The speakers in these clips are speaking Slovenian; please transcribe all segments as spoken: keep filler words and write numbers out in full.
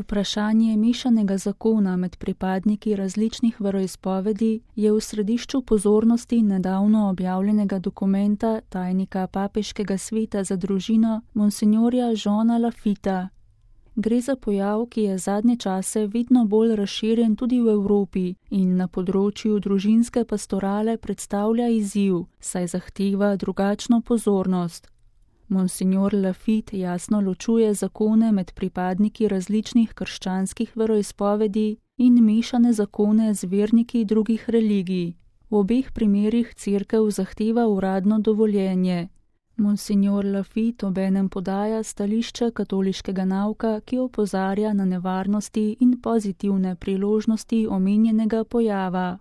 Vprašanje mešanega zakona med pripadniki različnih veroizpovedi je v središču pozornosti nedavno objavljenega dokumenta tajnika Papeškega sveta za družino monsinjorja Jeana Lafitta. Gre za pojav, ki je zadnje čase vedno bolj razširjen tudi v Evropi in na področju družinske pastorale predstavlja izziv, saj zahteva drugačno pozornost. Monsinjor Lafitte jasno ločuje zakone med pripadniki različnih krščanskih veroizpovedi in mešane zakone z verniki drugih religij. V obeh primerih cerkev zahteva uradno dovoljenje. Monsinjor Lafitte obenem podaja stališče katoliškega nauka, ki opozarja na nevarnosti in pozitivne priložnosti omenjenega pojava.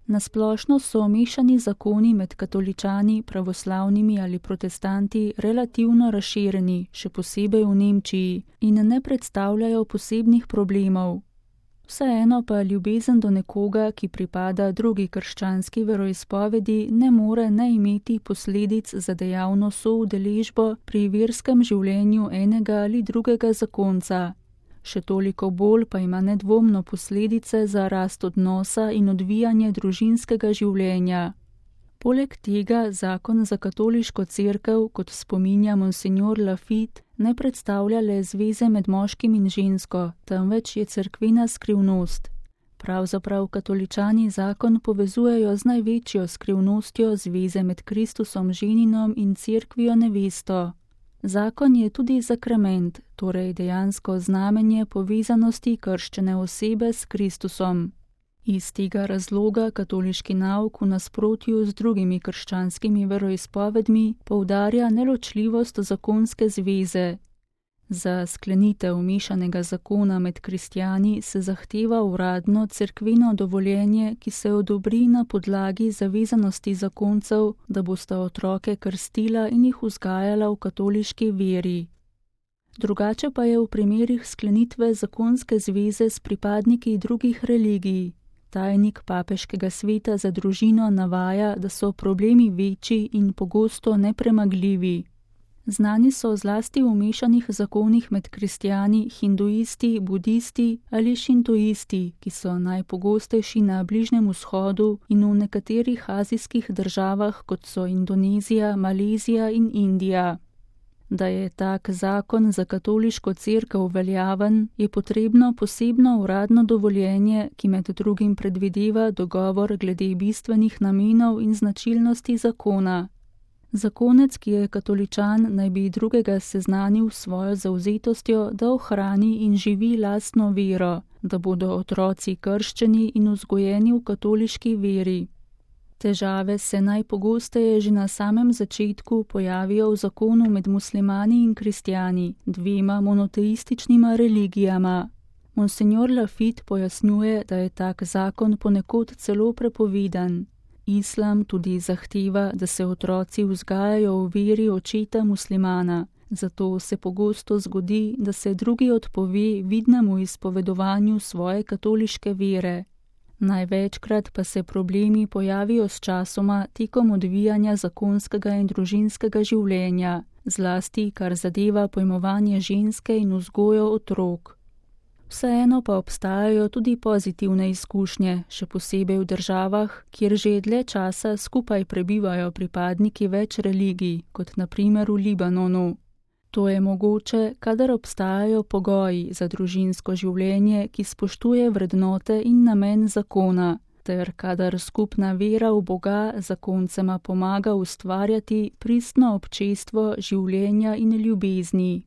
Nasplošno so mešani zakoni med katoličani, pravoslavnimi ali protestanti relativno razširjeni, še posebej v Nemčiji, in ne predstavljajo posebnih problemov. Vseeno pa ljubezen do nekoga, ki pripada drugi krščanski veroizpovedi, ne more ne imeti posledic za dejavno soudeležbo pri verskem življenju enega ali drugega zakonca. Še toliko bolj pa ima nedvomno posledice za rast odnosa in odvijanje družinskega življenja. Poleg tega zakon za katoliško cerkev, kot spominja monsinjor Lafitte, ne predstavlja le zveze med moškim in žensko, temveč je cerkvena skrivnost. Pravzaprav katoličani zakon povezujejo z največjo skrivnostjo zveze med Kristusom ženinom in cerkvijo nevesto. Zakon je tudi sakrament, torej dejansko znamenje povezanosti krščene osebe s Kristusom. Iz tega razloga katoliški nauk v nasprotju z drugimi krščanskimi veroizpovedmi poudarja neločljivost zakonske zveze. Za sklenitev mešanega zakona med kristjani se zahteva uradno cerkveno dovoljenje, ki se odobri na podlagi zavezanosti zakoncev, da bosta otroke krstila in jih vzgajala v katoliški veri. Drugače pa je v primerih sklenitve zakonske zveze s pripadniki drugih religij. Tajnik Papeškega sveta za družino navaja, da so problemi večji in pogosto nepremagljivi. Znani so zlasti v mešanih zakonih med kristjani, hinduisti, budisti ali šintoisti, ki so najpogostejši na Bližnjem vzhodu in v nekaterih azijskih državah, kot so Indonezija, Malezija in Indija. Da je tak zakon za katoliško cerkev veljaven, je potrebno posebno uradno dovoljenje, ki med drugim predvideva dogovor glede bistvenih namenov in značilnosti zakona. Zakonec, ki je katoličan, naj bi drugega seznanil s svojo zavzetostjo, da ohrani in živi lastno vero, da bodo otroci krščeni in vzgojeni v katoliški veri. Težave se najpogosteje že na samem začetku pojavijo v zakonu med muslimani in kristjani, dvema monoteističnima religijama. Monsinjor Lafitte pojasnjuje, da je tak zakon ponekod celo prepovedan. Islam tudi zahteva, da se otroci vzgajajo v veri očeta muslimana, zato se pogosto zgodi, da se drugi odpove vidnemu izpovedovanju svoje katoliške vere. Največkrat pa se problemi pojavijo s časoma tekom odvijanja zakonskega in družinskega življenja, zlasti kar zadeva pojmovanje ženske in vzgojo otrok. Vseeno pa obstajajo tudi pozitivne izkušnje, še posebej v državah, kjer že dlje časa skupaj prebivajo pripadniki več religij, kot na primer v Libanonu. To je mogoče, kadar obstajajo pogoji za družinsko življenje, ki spoštuje vrednote in namen zakona, ter kadar skupna vera v Boga zakoncema pomaga ustvarjati pristno občestvo življenja in ljubezni.